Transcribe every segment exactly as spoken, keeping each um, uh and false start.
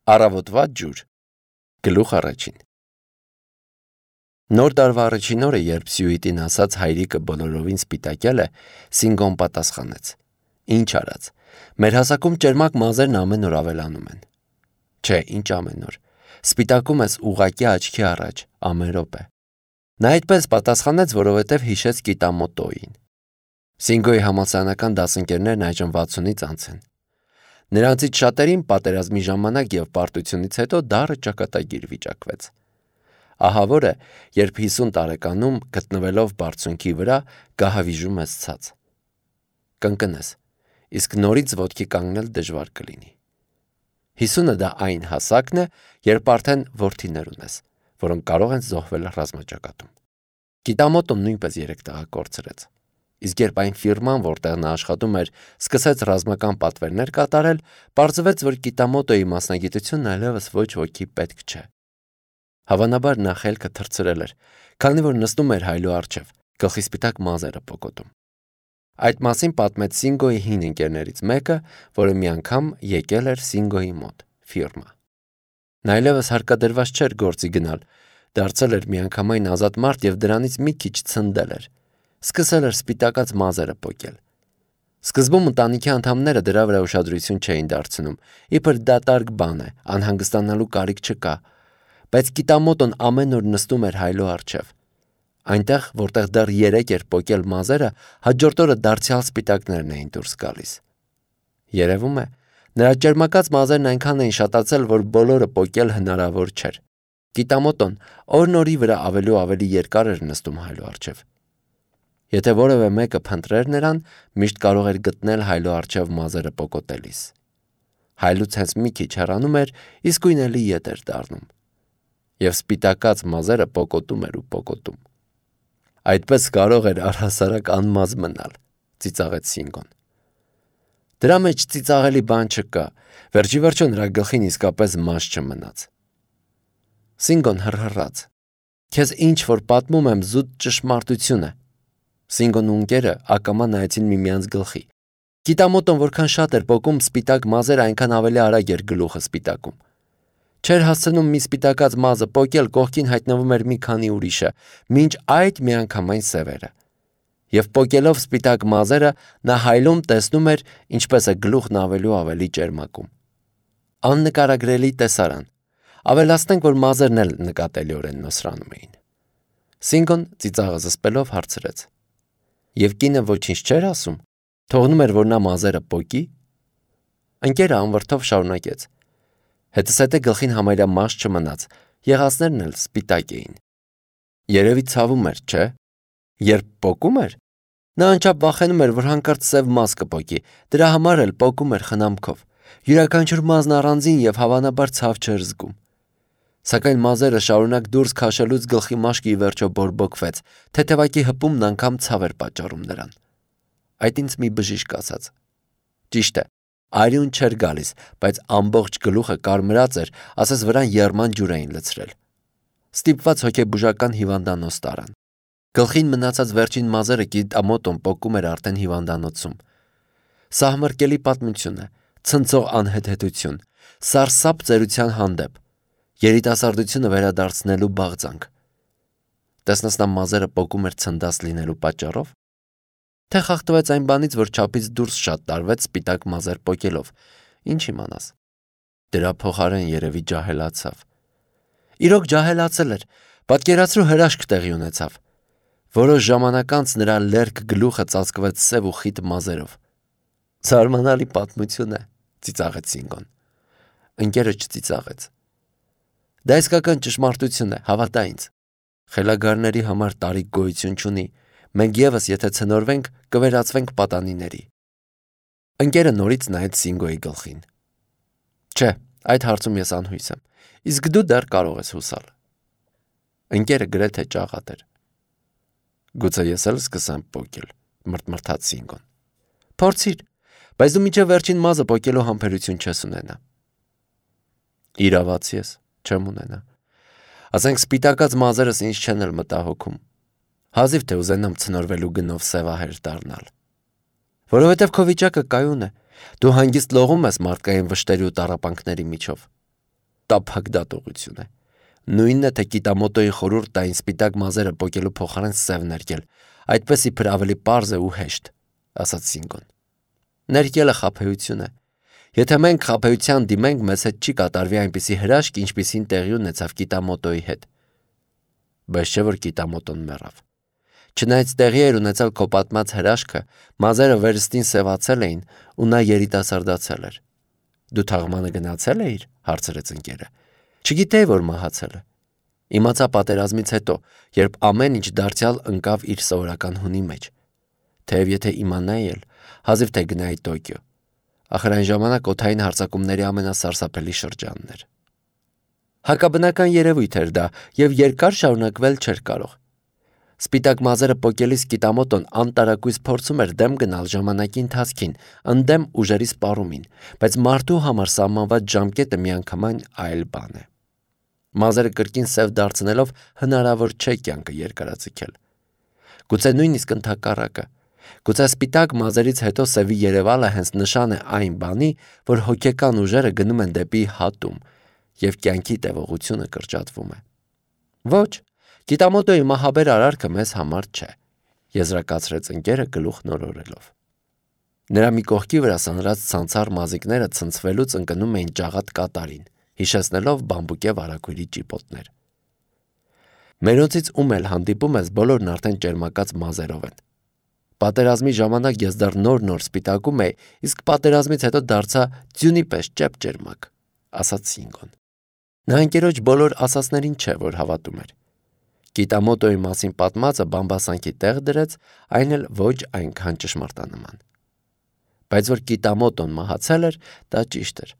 Առավոտվա ջուր։ Գլուխ առաջին։ Նոր տարվա առաջին օրը, երբ Սյուիտին ասաց հայրիկը բոլորովին սպիտակել է, Սինգոն պատասխանեց. Ինչ արած, մեր հասակում ճերմակ մազերն ամեն օր ավելանում են։ Չէ, ինչ ամեն օր, սպիտակում ես ուղղակի աչքի առաջ, ամեն րոպե։ Նա այդպես պատասխանեց, որովհետև հիշեց Կիտամոտոյին։ Սինգոյի համալսարանական դասընկերներն այժմ վաթսունից անց են։ Նրանցից շատերին պատերազմի ժամանակ և պարտությունից հետո դառը ճակատագիր վիճակվեց։ Ահա որ է, երբ հիսուն տարեկանում գտնվելով բարձունքի վրա գահավիժում ես ցած։ Կընկնես, իսկ նորից ոտքի կանգնել դժվար կլինի։ Հիսունը դա այն հասակն է, երբ արդեն որդիներ ունես, որոնք կարող են զոհվել ռազմաճակատում։ Կիտամոտոն նույնպես երեք տղա կորցրեց։ Իսկ երբ այն ֆիրման, որտեղ նա աշխատում էր, սկսեց ռազմական պատվերներ կատարել, պարզվեց, որ Կիտամոտոյի մասնագիտությունն այլևս ոչ ոքի պետք չէ։ Հավանաբար նա խելքը թռցրել էր, քանի որ նստում էր հայլու առջև, գլխի սպիտակ մազերը պոկոտում։ Այդ մասին պատմեց Սինգոյի հին ընկերներից մեկը, որը մի անգամ եկել էր Սինգոյի մոտ, ֆիրմա։ Նա այլևս հարկադրված չէր գործի գնալ, դարձել էր միանգամայն ազատ մարդ և դրանից մի քիչ ցնդել էր։ Սկսել էր սպիտակած մազերը պոկել։ Սկզբում ընտանիքի անդամները դրա վրա ուշադրություն չէին դարձնում, իբր դատարկ բան է, անհանգստանալու կարիք չկա, բայց Կիտամոտոն ամեն օր նստում էր հայլու առջև։ Այնտեղ, որտեղ դեռ երեք էր պոկել մազերը, հաջորդ օրը դարձյալ սպիտակներն էին դուրս գալիս։ Երևում է, նրա ճերմակած մազերն այնքան էին շատացել, որ բոլորը պոկել հնարավոր չէր։ Կիտամոտոն օրն օրի վրա ավելի ու ավելի երկար էր նստում հայլու առջև։ Եթե որևէ մեկը փնտրեր նրան, միշտ կարող էր գտնել հայլու առջև մազերը պոկոտելիս։ Հայլուց հենց մի քիչ հեռանում էր, իսկույն էլի ետ էր դառնում։ Եվ սպիտակած մազերը պոկոտում էր ու պոկոտում։ Այդպես կարող էր առհասարակ անմազ մնալ, ծիծաղեց Սինգոն։ Դրա մեջ ծիծաղելի բան չկա, վերջի վերջո նրա գլխին իսկապես մազ չմնաց։ Սինգոն հռհռաց։ Քեզ ինչ որ պատմում եմ զուտ ճշմարտություն է։ Սինգոն ու ընկերը ակամա նայեցին միմյանց գլխի։ Կիտամոտոն որքան շատ էր պոկում սպիտակ մազերը, այնքան ավելի արագ էր գլուխը սպիտակում։ Չէր հասցնում մի սպիտակած մազը պոկել, կողքին հայտնվում էր մի քանի ուրիշը, մինչ այդ միանգամայն սևերը։ Եվ պոկելով սպիտակ մազերը, նա հայլում տեսնում էր, ինչպես է գլուխն ավելի ու ավելի ճերմակում։ Աննկարագրելի տեսարան։ Ավելացնենք, որ մազերն էլ նկատելիորեն նոսրանում էին։ Սինգոն ծիծաղը զսպելով հարցրեց. Եվ կինը ոչինչ չէր ասում, թողնում էր, որ նա մազերը պոկի։ Ընկերը անվրդով շարունակեց. Հետզհետե գլխին համարյա մաշ չմնաց, եղածներն էլ սպիտակ էին։ Երևի ցավում էր, չէ՞։ Երբ պոկում էր, նա անչափ վախենում էր, որ հանկարծ սև մազ կպոկի, դրա համար էլ պոկում էր խնամքով։ Յուրաքանչյուր մազն առանձին և հավանաբար ցավ չէր զգում։ Սակայն մազերը շարունակ դուրս քաշելուց գլխի մաշկը ի վերջո բորբոքվեց, թեթևակի հպումն անգամ ցավ էր պատճառում նրան։ Այդ ինձ մի բժիշկ ասաց։ Ճիշտ է, արյուն չէր գալիս, բայց ամբողջ գլուխը կարմրած էր, ասես վրան եռման ջուր էին լցրել։ Ստիպված հոգեբուժական հիվանդանոց տարան։ Գլխին մնացած վերջին մազերը Կիտամոտոն պոկում էր արդեն հիվանդանոցում։ Սահմռկելի պատմություն է, ցնցող անհեթեթություն, սարսափ ծերության հանդեպ, երիտասարդությունը վերադարձնելու բաղձանք։ Տեսնես նա մազերը պոկում էր ցնդած լինելու պատճառով։ Թե խախտվեց այն բանից, որ չափից դուրս շատ տարվեց սպիտակ մազեր պոկելով, ինչ իմանաս։ Դրա փոխարեն երևի ջահելացավ։ Իրոք ջահելացել էր, պատկերացրու հրաշք տեղի ունեցավ։ Որոշ ժամանակ անց նրա լերկ գլուխը ծածկվեց սև ու խիտ մազերով։ Զարմանալի պատմություն է, ծիծաղեց Սինգոն։ Ընկերը չծիծաղեց։ Դա իսկական ճշմարտություն է, հավատա ինձ։ Խելագարների համար տարիք գոյություն չունի, մենք ևս եթե ցնորվենք, կվերածվենք պատանիների։ Ընկերը նորից նայեց Սինգոյի գլխին։ Չէ, այդ հարցում ես անհույս եմ, իսկ դու դեռ կարող ես հուսալ։ Ընկերը գրեթե ճաղատ էր։ Գուցե ես էլ սկսեմ պոկել, մրթմրթաց Սինգոն։ Փորձիր, բայց դու մինչև վերջին մազը պոկելու համբերություն չես ունենա։ Իրավացի ես, չեմ ունենա։ Ասենք սպիտակած մազերս ինձ չեն էլ մտահոգում։ Հազիվ թե ուզենամ ցնորվելու գնով սևահեր դառնալ։ Որովհետև քո վիճակը կայուն է, դու հանգիստ լողում ես մարդկային վշտերի ու տառապանքների միջով։ տափակ դատողություն է։ Նույնն է, թե Կիտամոտոյի խորհուրդ տային սպիտակ մազերը պոկելու փոխարեն սև ներկել, այդպես իբր ավելի պարզ է ու հեշտ, ասաց Սինգոն։ Ներկելը խաբեություն է։ Եթե մենք խաբեության դիմենք, մեզ հետ չի կատարվի այնպիսի հրաշք, ինչպիսին տեղի ունեցավ Կիտամոտոյի հետ։ Բայց չէ որ Կիտամոտոն մեռավ։ Չնայած տեղի էր ունեցել քո պատմած հրաշքը, մազերը վերստին սևացել էին ու նա երիտասարդացել էր։ Դու թաղմանը գնացել էիր, հարցրեց ընկերը։ Չգիտեի, որ մահացել է։ Իմացա պատերազմից հետո, երբ ամեն ինչ դարձյալ ընկավ իր սովորական հունի մեջ։ Թեև եթե իմանայի էլ, հազիվ թե գնայի Տոկիո։ Ախր այն ժամանակ օդային հարձակումների ամենասարսափելի շրջանն էր։ Հակաբնական երևույթ էր դա եւ երկար շարունակվել չէր կարող։ Սպիտակ մազերը պոկելիս Կիտամոտոն անտարակույս փորձում էր դեմ գնալ ժամանակի ընթացքին, ընդդեմ ուժերի սպառումին, բայց մարդու համար սահմանված ժամկետը միանգամայն այլ բան է։ Մազերը կրկին սև դարձնելով հնարավոր չէ կյանքը երկարաձգել։ Գուցե նույնիսկ ընդհակառակը։ Գուցե սպիտակ մազերից հետո սևի երևալը հենց նշան է այն բանի, որ հոգեկան ուժերը գնում են դեպի հատում եւ կյանքի տևողությունը կրճատվում է։ Ոչ, Կիտամոտոյի մահաբեր արարքը մեզ համար չէ, եզրակացրեց ընկերը գլուխ նորորելով։ Նրա մի կողքի վրա սանրած ցանցառ մազիկները ցնցվելուց ընկնում էին ջաղատ կատարին, հիշեցնելով բամբուկե վարագույրի ճիպոտներ։ Մերոնցից ում էլ հանդիպում ես, բոլորն արդեն ճերմակած մազերով են։ Պատերազմի ժամանակ ես դեռ նոր-նոր սպիտակում էի, իսկ պատերազմից հետո դարձա ձյունի պես ճեպ-ճերմակ, ասաց Սինգոն։ Նա ընկերոջ բոլոր ասածներին չէ, որ հավատում էր։ Կիտամոտոյի մասին պատմածը բամբասանքի տեղ դրեց, այն էլ ոչ այնքան ճշմարտանման։ Բայց որ Կիտամոտոն մահացել էր, դա ճիշտ էր։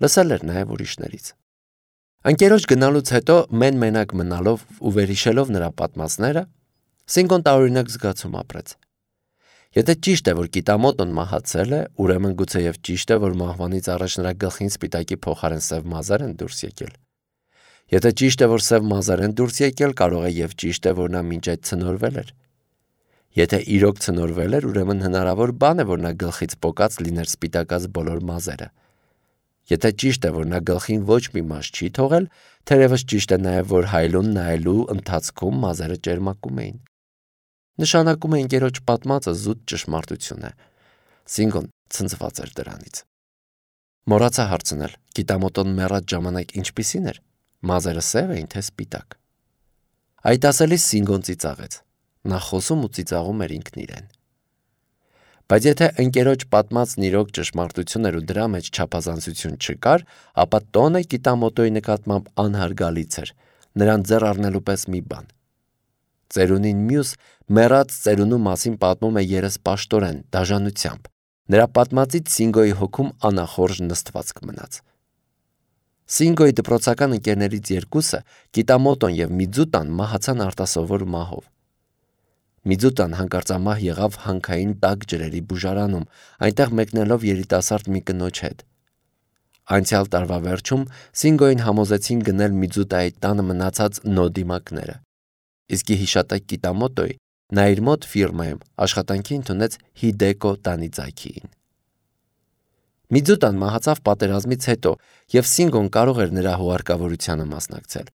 Լսել էր նաև ուրիշներից։ Ընկերոջ գնալուց հետո մեն-մենակ մնալով ու վերհիշելով նրա պատմածները, Սինգոն տարօրինակ զգացում ապրեց։ Եթե ճիշտ է, որ Կիտամոտոն մահացել է, ուրեմն գուցեև ճիշտ է, որ մահվանից առաջ նրա գլխին սպիտակի փոխարեն սև մազեր են դուրս եկել։ Եթե ճիշտ է, որ սև մազեր են դուրս եկել, կարող է եւ ճիշտ է, որ նա մինչ այդ ցնորվել էր։ Եթե իրոք ցնորվել էր, ուրեմն հնարավոր բան է, որ նա գլխից պոկած լիներ սպիտակած բոլոր մազերը։ Եթե ճիշտ է, որ նա գլխին ոչ մի մաշ չի թողել, թերևս ճիշտ է նաև, որ հայլուն նայելու ընթացքում մազերը ճերմակում էին։ Նշանակում է ընկերոջ պատմածը զուտ ճշմարտություն է։ Սինգոն ցնցված էր դրանից։ Մոռացա հարցնել, Կիտամոտոն մեռած ժամանակ ինչպիսին էր։ Մազերը սև էին, թե սպիտակ։ Այդ ասելիս Սինգոն ծիծաղեց։ Նա խոսում ու ծիծաղում էր ինքն իրեն։ Բայց եթե ընկերոջ պատմածն իրոք ճշմարտություն էր ու դրա մեջ չափազանցություն չկար, ապա տոնը Կիտամոտոյի նկատմամբ անհարգալից էր, նրան ձեռ առնելու պես մի բան։ Ծերունին մյուս մեռած ծերունու մասին պատմում է երեսպաշտորեն, դաժանությամբ։ Նրա պատմածից Սինգոյի հոգում անախորժ նստվածք մնաց։ Սինգոյի դպրոցական ընկերներից երկուսը, Կիտամոտոն եւ Միձուտան, մահացան արտասովոր մահով։ Միձուտան հանկարծամահ եղավ հանքային տաք ջրերի բուժարանում, այնտեղ մեկնելով երիտասարդ մի կնոջ հետ։ Անցյալ տարվա վերջում Սինգոյին համոզեցին գնել Միձուտայի տանը մնացած նոդիմակները։ Իսկ հիշատակ Կիտամոտոյի նա իր մոտ ֆիրմայում աշխատանքի ընդունեց Հիդեկո Տանիձակիին։ Միձուտան մահացավ պատերազմից հետո, եւ Սինգոն կարող էր նրա հուարկավորությանը մասնակցել։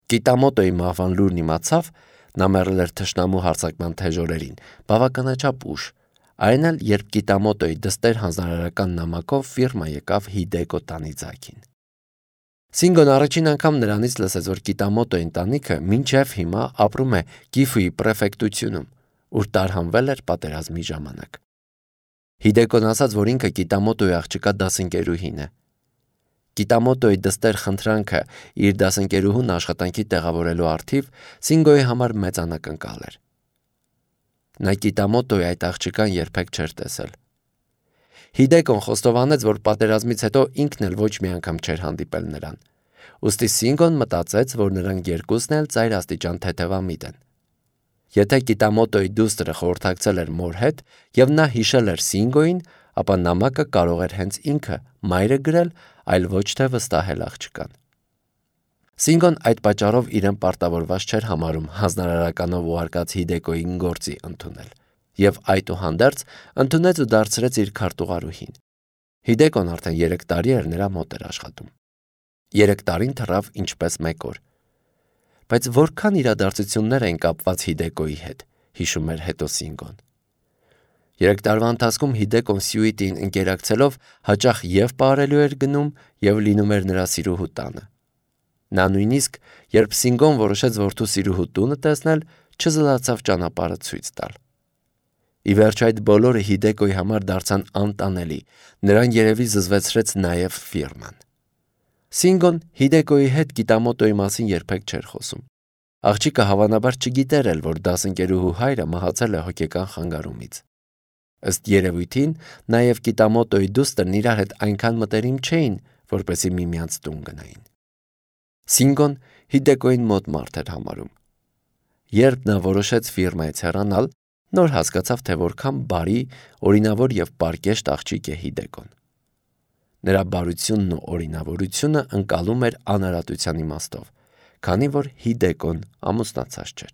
Կիտամոտոյի մահվան լուրն իմացավ, նա մեռել էր թշնամու հարձակման թեժ օրերին, բավականաչափ ուշ, այն էլ երբ Կիտամոտոյի դստեր հանձնարարական նամակով ֆիրմա եկավ Հիդեկո Տանիձակին։ Սինգոն առաջին անգամ նրանից լսեց, որ Կիտամոտոյի ընտանիքը մինչև հիմա ապրում է Կիֆուի պրեֆեկտությունում, ուր տարհանվել էր պատերազմի ժամանակ։ Հիդեկոն ասաց, որ ինքը Կիտամոտոյի աղջկա դասընկերուհին է։ Կիտամոտոյի դստեր խնդրանքը իր դասընկերուհուն աշխատանքի տեղավորելու առթիվ Սինգոյի համար մեծ անակնկալ էր։ Նա Կիտամոտոյի այդ աղջկան երբեք չէր տեսել։ Հիդեկոն խոստովանեց, որ պատերազմից հետո ինքն էլ ոչ մի անգամ չէր հանդիպել նրան։ Ուստի Սինգոն մտածեց, որ նրանք երկուսն էլ ծայր աստիճան թեթևամիտ են։ Եթե Կիտամոտոյի դուստրը խորհրդակցել էր մոր հետ եւ նա հիշել էր Սինգոյին, ապա նամակը կարող էր հենց ինքը մայրը գրել, այլ ոչ թե վստահել աղջկան։ Սինգոն այդ պատճառով իրեն պարտավորված չէր համարում հանձնարարականով ուղարկած Հիդեկոյին գործի ընդունել, եւ այդուհանդերձ ընդունեց ու դարձրեց իր քարտուղարուհին։ Հիդեկոն արդեն երեք տարի էր նրա մոտ էր աշխատում։ Երեք տարին թռավ ինչպես մեկ օր։ Բայց որքան իրադարձություններ են կապված Հիդեկոյի հետ, հիշում էր հետո Սինգոն։ Երեք տարվա ընթացքում Հիդեկոն Սյուիտին ընկերակցելով հաճախ և պարելու էր գնում և լինում էր նրա սիրուհու տանը։ Նա նույնիսկ, երբ Սինգոն որոշեց որդու սիրուհու տունը տեսնել, չզլացավ ճանապարհը ցույց տալ։ Ի վերջ այդ բոլորը Հիդեկոյի համար դարձան անտանելի, նրան երևի զզվեցրեց նաև ֆիրման։ Սինգոն Հիդեկոյի հետ Կիտամոտոյի մասին երբեք չէր խոսում։ Աղջիկը հավանաբար չգիտեր էլ, որ դասընկերուհու հայրը մահացել է հոգեկան խանգարումից։ Ըստ երևույթին, նաև Կիտամոտոյի դուստրն իրար հետ այնքան մտերիմ չէին, որպեսզի միմյանց տուն գնային։ Սինգոն Հիդեկոյին մոտ մարդ էր համարում։ Երբ նա որոշեց ֆիրմայից հեռանալ, նոր հասկացավ, թե որքան բարի, օրինավոր և պարկեշտ աղջիկ է Հիդեկոն։ Նրա բարությունն ու օրինավորությունը ընկալում էր անարատության իմաստով, քանի որ Հիդեկոն ամուսնացած չէր։